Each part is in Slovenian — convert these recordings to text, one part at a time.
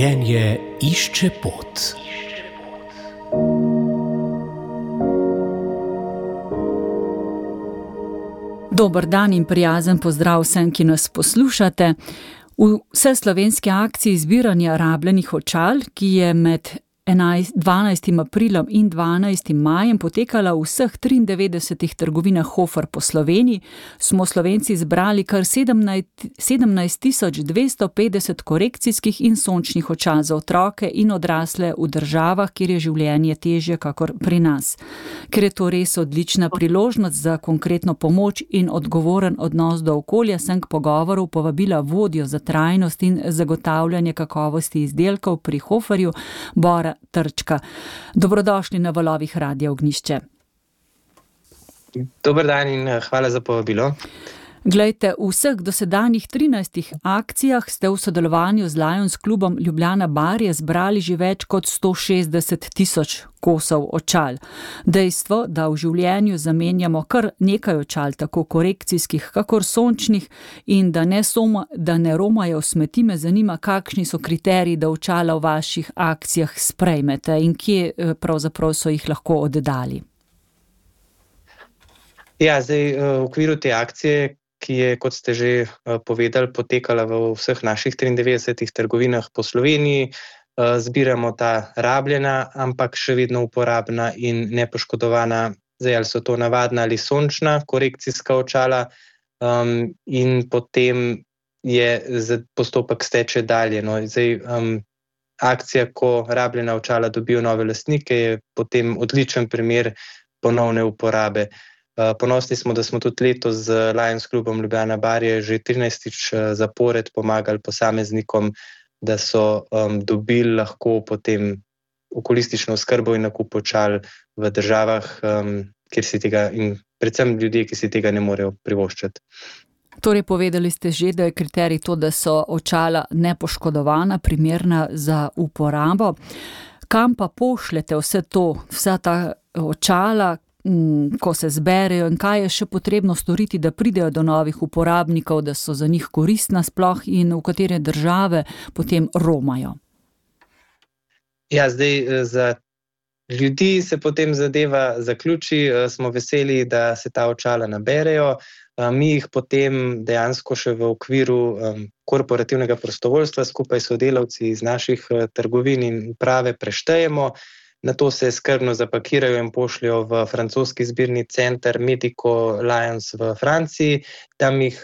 Življenje išče pot. Dober dan in prijazen pozdrav vsem, ki nas poslušate. V vseslovenski akciji zbiranja rabljenih očal, ki je med 12. aprilom in 12. majem potekala v vseh 93 trgovinah Hofer po Sloveniji, smo Slovenci zbrali kar 17.250 korekcijskih in sončnih očal za otroke in odrasle v državah, kjer je življenje težje kakor pri nas. Ker je to res odlična priložnost za konkretno pomoč in odgovoren odnos do okolja, sem k pogovoru povabila vodjo za trajnost in zagotavljanje kakovosti izdelkov pri Hoferju, Bora Trčka. Dobrodošli na valovih Radia Ognjišče. Dober dan in hvala za povabilo. Glejte, v vseh dosedanjih 13 akcijah ste v sodelovanju z Lions klubom Ljubljana Barje zbrali že več kot 160.000 kosov očal. Dejstvo, da v življenju zamenjamo kar nekaj očal, tako korekcijskih, kakor sončnih, in da ne romajo v smeti, me zanima, kakšni so kriteriji, da očala v vaših akcijah sprejmete in kje pravzaprav so jih lahko oddali. Ja, zdaj v okviru te akcije, ki je, kot ste že povedali, potekala v vseh naših 93 trgovinah po Sloveniji, zbiramo ta rabljena, ampak še vedno uporabna in nepoškodovana, zdaj ali so to navadna ali sončna korekcijska očala, in potem je postopek steče dalje. No, zdaj, akcija, ko rabljena očala dobijo nove lastnike, je potem odličen primer ponovne uporabe. Ponosni smo, da smo tudi letos z Lions klubom Ljubljana Barje že 13. zapored pomagali posameznikom, da so dobili lahko potem okulistično oskrbo in nakup očal v državah, kjer si tega, in predvsem ljudje, ki si tega ne morejo privoščiti. Torej, povedali ste že, da je kriterij to, da so očala nepoškodovana, primerna za uporabo. Kam pa pošljete vsa ta očala, ko se zberejo, in kaj je še potrebno storiti, da pridejo do novih uporabnikov, da so za njih koristna sploh, in v katere države potem romajo? Ja, zdaj za ljudi se potem zadeva zaključi, smo veseli, da se ta očala naberejo. Mi jih potem dejansko še v okviru korporativnega prostovoljstva skupaj s sodelavci iz naših trgovin in uprave preštejemo. Nato se skrbno zapakirajo in pošljajo v francoski zbirni center Medico Lions v Franciji. Tam jih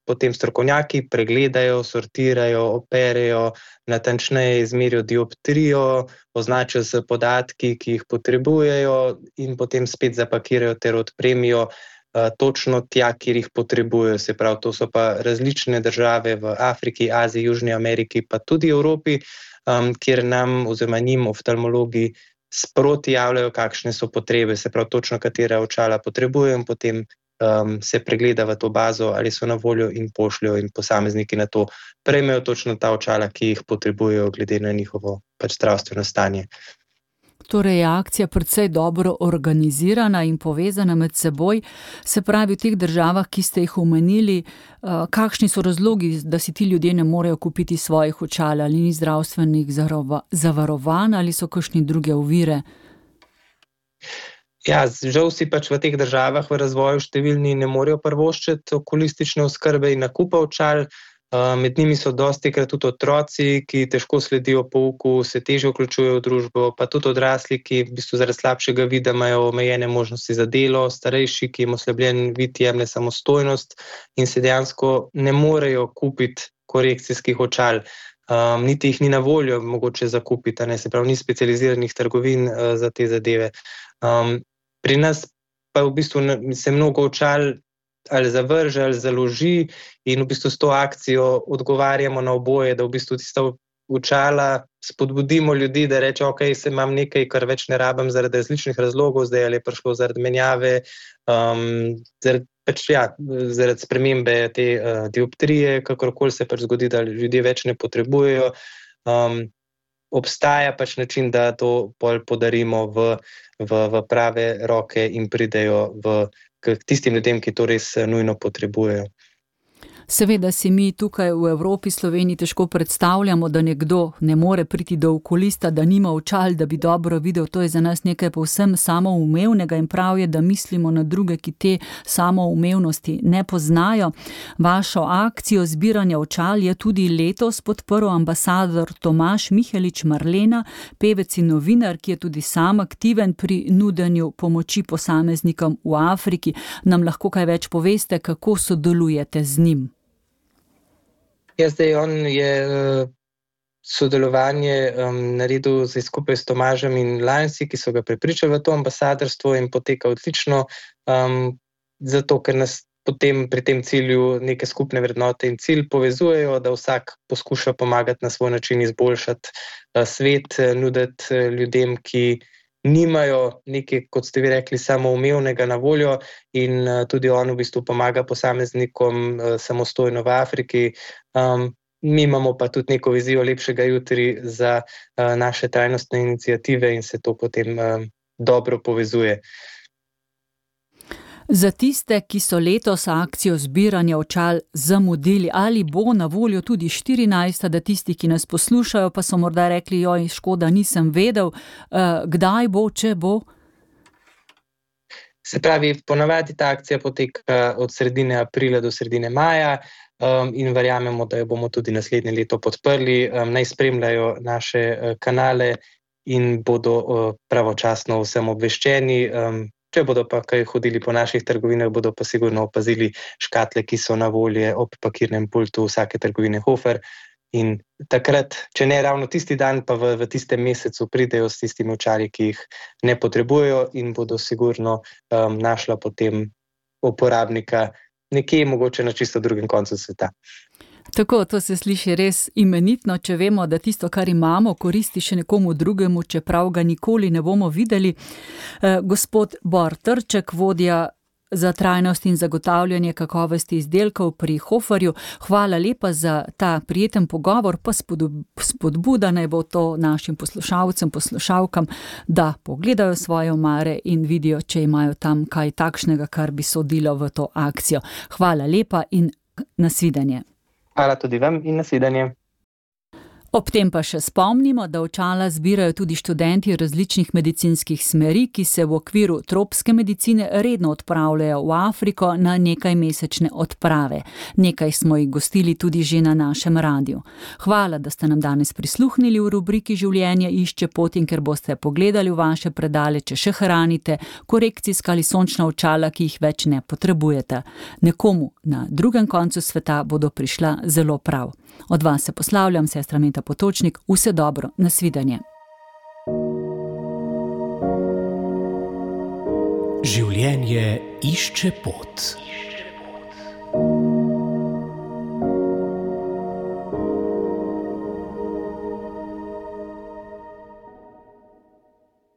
potem strokovnjaki pregledajo, sortirajo, operejo, natančneje izmerijo dioptrijo, označijo s podatki, ki jih potrebujejo, in potem spet zapakirajo ter odpremijo točno tja, kjer jih potrebujejo. Se pravi, to so pa različne države v Afriki, Aziji, Južni Ameriki, pa tudi Evropi, kjer nam oziroma njim oftalmologi sproti javljajo, kakšne so potrebe, se pravi točno katera očala potrebujejo, in potem se pregleda v to bazo, ali so na voljo, in pošljajo, in posamezniki na to prejmejo točno ta očala, ki jih potrebujejo glede na njihovo zdravstveno stanje. Torej je akcija precej dobro organizirana in povezana med seboj. Se pravi, v teh državah, ki ste jih omenili, kakšni so razlogi, da si ti ljudje ne morejo kupiti svojih očal, ali ni zdravstvenih zavarovanj, ali so kakšne druge ovire? Ja, žal si pač v teh državah v razvoju številni ne morejo privoščiti okulistične oskrbe in nakupa očal. Med njimi so dostikrat tudi otroci, ki težko sledijo pouku, se težje vključujejo v družbo, pa tudi odrasli, ki v bistvu zaradi slabšega vida imajo omejene možnosti za delo, starejši, ki jim oslabljen vid jemlje samostojnost in se dejansko ne morejo kupiti korekcijskih očal. Niti jih ni na voljo mogoče zakupiti, se pravi, ni specializiranih trgovin za te zadeve. Pri nas pa v bistvu se mnogo očal ali zavrže ali založi, in v bistvu s to akcijo odgovarjamo na oboje, da v bistvu tista očala spodbudimo ljudi, da reče, ok, se imam nekaj, kar več ne rabim zaradi različnih razlogov, zdaj ali je prišlo zaradi menjave, zaradi spremembe te dioptrije, kakorkoli se pač zgodi, da ljudje več ne potrebujejo. Obstaja pač način, da to podarimo v prave roke in pridejo k tistim ljudem, ki to res nujno potrebujejo. Seveda si mi tukaj v Evropi, Sloveniji težko predstavljamo, da nekdo ne more priti do okulista, da nima očal, da bi dobro videl. To je za nas nekaj povsem samoumevnega in prav je, da mislimo na druge, ki te samoumevnosti ne poznajo. Vašo akcijo zbiranja očal je tudi letos podprl ambasador Tomaž Mihelič Marlena, pevec in novinar, ki je tudi sam aktiven pri nudenju pomoči posameznikom v Afriki. Nam lahko kaj več poveste, kako sodelujete z njim? Ja, zdaj on je sodelovanje naredil skupaj s Tomažem in Lionsi, ki so ga prepričali v to ambasadorstvo in poteka odlično, zato ker nas potem pri tem cilju neke skupne vrednote in cilj povezujejo, da vsak poskuša pomagati na svoj način izboljšati svet, nuditi ljudem, ki nimajo nekaj, kot ste vi rekli, samoumevnega na voljo in tudi on v bistvu pomaga posameznikom samostojno v Afriki. Mi imamo pa tudi neko vizijo lepšega jutri za naše trajnostne iniciative in se to potem dobro povezuje. Za tiste, ki so letos akcijo zbiranja očal zamudili, ali bo na voljo tudi 14, da tisti, ki nas poslušajo, pa so morda rekli, joj, škoda, nisem vedel, kdaj bo, če bo? Se pravi, ponavadi ta akcija poteka od sredine aprila do sredine maja in verjamemo, da jo bomo tudi naslednje leto podprli. Naj spremljajo naše kanale in bodo pravočasno vsem obveščeni. Če bodo pa kaj hodili po naših trgovinah, bodo pa sigurno opazili škatle, ki so na volje ob pakirnem pultu vsake trgovine Hofer. In takrat, če ne ravno tisti dan, pa v tistem mesecu pridejo s tistimi očali, ki jih ne potrebujejo in bodo sigurno našla potem uporabnika nekje, mogoče na čisto drugem koncu sveta. Tako, to se sliši res imenitno, če vemo, da tisto, kar imamo, koristi še nekomu drugemu, čeprav ga nikoli ne bomo videli. Gospod Bor Trček, vodja za trajnost in zagotavljanje kakovosti izdelkov pri Hoferju, hvala lepa za ta prijeten pogovor, pa spodbuda naj bo to našim poslušalcem, poslušalkam, da pogledajo svoje omare in vidijo, če imajo tam kaj takšnega, kar bi sodilo v to akcijo. Hvala lepa in nasvidenje. Hvala tudi vam in nasvidenje. Ob tem pa še spomnimo, da očala zbirajo tudi študenti različnih medicinskih smeri, ki se v okviru tropske medicine redno odpravljajo v Afriko na nekajmesečne odprave. Nekaj smo jih gostili tudi že na našem radiju. Hvala, da ste nam danes prisluhnili v rubriki Življenje išče pot in ker boste pogledali v vaše predale, če še hranite korekcijska ali sončna očala, ki jih več ne potrebujete. Nekomu na drugem koncu sveta bodo prišla zelo prav. Od vas se poslavljam, sestra Meta Potočnik, vse dobro, nasvidenje. Življenje išče pot.